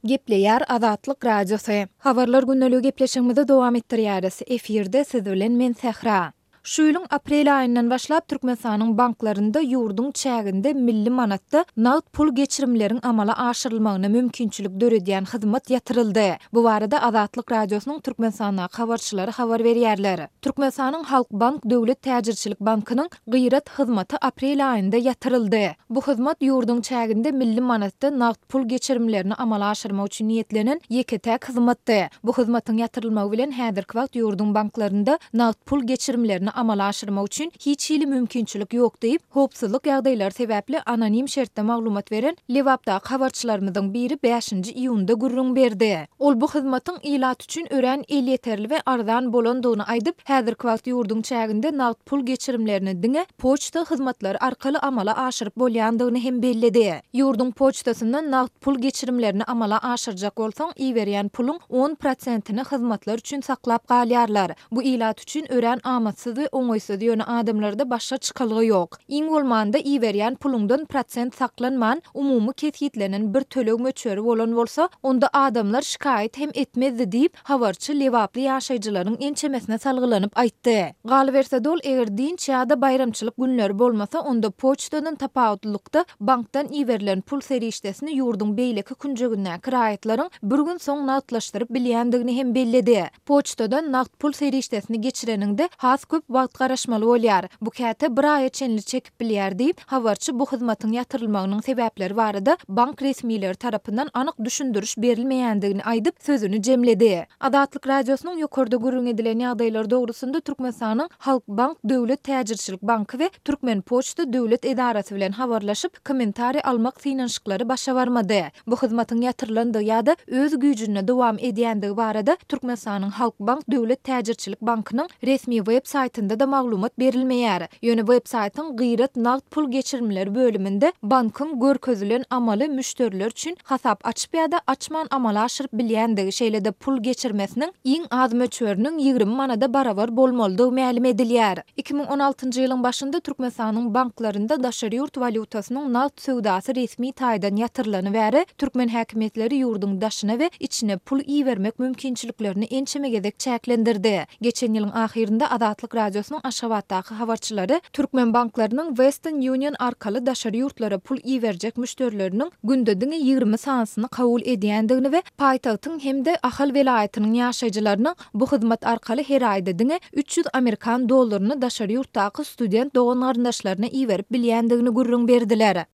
Gepleýär Azatlyk Radiosy. Habarlar gündeligi gepleşigimizi dowam etdirýäris. Efirde siz bilen men Sähra. Şu ýylyň aprel aýyndan başlap Türkmenistanyň banklarynda ýurduň çäginde milli manatda nagt pul geçirimleriň amala aşyrylmagyna mümkinçilik döredýän hyzmat ýatyryldy. Bu barada Azatlyk Radiosynyň Türkmenistandaky habarçylary habar berýärler. Türkmenistanyň Halkbank döwlet täjirçilik bankynyň Gyrat hyzmaty aprel aýynda ýatyryldy. Bu hyzmat ýurduň çäginde milli manatda nagt pul geçirimlerini amala aşyrmak üçin niýetlenen ýeke-täk hyzmatdy. Bu hyzmatyň ýatyrylmagy bilen häzirki wagt ýurduň banklarynda nagt pul geçirimlerini amala aşyrmak üçin hiç hili mümkinçilik ýok diýip, howpsuzlyk ýagdaýlary sebäpli anonim şertde maglumat beren Lebapdaky habarçylarymyzyň biri bäşinji iýunda gürrüň berdi. Ol bu hyzmatyň ilat üçin örän elýeterli we arzan bolandygyny aýdyp, häzirki wagt ýurduň çäginde nagt pul geçirimlerini diňe poçta hyzmatlary arkaly amala aşyryp bolýandygyny hem belledi. Ýurduň poçtasyndan nagt pul geçirimlerini amala aşyrjak bolsaň, iberýän puluň on prosentini hyzmatlar üçin saklap galýarlar. Bu ilat üçin örän amatsyz we oňaýsyz, ýöne adamlarda başga çykalga ýok. Iň bolmanda iberýän puluňdan prosent saklanman, umumy kesgitlenen bir töleg möçberi bolan bolsa, onda adamlar şikaýat hem etmezdi diýip, habarçy lebaply ýaşaýjylaryň ençemesine salgylanyp aýtdy. Galyberse-de ol eger dynç ýa-da baýramçylyk günleri bolmasa, onda poçtadan tapawutlylykda bankdan iberilen pul serişdesini ýurduň beýleki künjegindäki raýatlaryň bir gün soň nagtlaşdyryp bilýändigini hem belledi. Poçtadan nagt pul serişdesini geçireniňde has köp wagt garaşmaly bolýar. Bu käte bir aýa çenli çekip bilýär diýip, habarçy bu hyzmatyň ýatyrylmagynyň sebäpleri barada bank resmileri tarapyndan anyk düşündiriş berilmeýändigini aýdyp, sözüni jemledi. Azatlyk Radiosynyň ýokarda gürrüň edilen ýagdaýlar dogrusynda Türkmenistanyň Halkbank döwlet täjirçilik banky we Türkmenpoçta döwlet edarasy bilen habarlaşyp, kommentariý almak synanyşyklary başa barmady. Bu hyzmatyň ýatyrylandygy ýa-da öz güýjünde dowam edýändigi barada Türkmenistanyň Halkbank döwlet täjirçilik bankynyň resmi web saýtynda-da maglumat berilmeýär. Ýöne web saýtyň Gyrat nagt pul geçirimleri bölüminde bankyň görkezilen amaly müşderiler üçin hasap açyp ýa-da açman amala aşyryp bilýändigi, şeýle-de pul geçirmesiniň iň az möçberiniň 20 manada barabar bolmalydygy mälim edilýär. 2016-njy ýylyň başynda Türkmenistanyň banklarynda daşary ýurt walýutasynyň nagt söwdasy resmi taýdan ýatyrylany bäri, türkmen häkimiýetleri ýurduň daşyna we içine pul ibermek mümkinçiliklerini ençeme gezek çäklendirdi. Geçen ýylyň ahyrynda Azatlyk Radiosynyň Aşgabatdaky habarçylary türkmen banklarynyň Western Union arkaly daşary ýurtlara pul iberjek müşderileriniň günde diňe 20 sanysyny kabul edýändigini we paýtagtyň hem-de Ahal welaýatynyň ýaşaýjylarynyň Bu hyzmat arkaly her aýda diňe 300 amerikan dollaryny daşary ýurtdaky student dogan-garyndaşlaryna iberip bilýändigini gürrüň berdiler.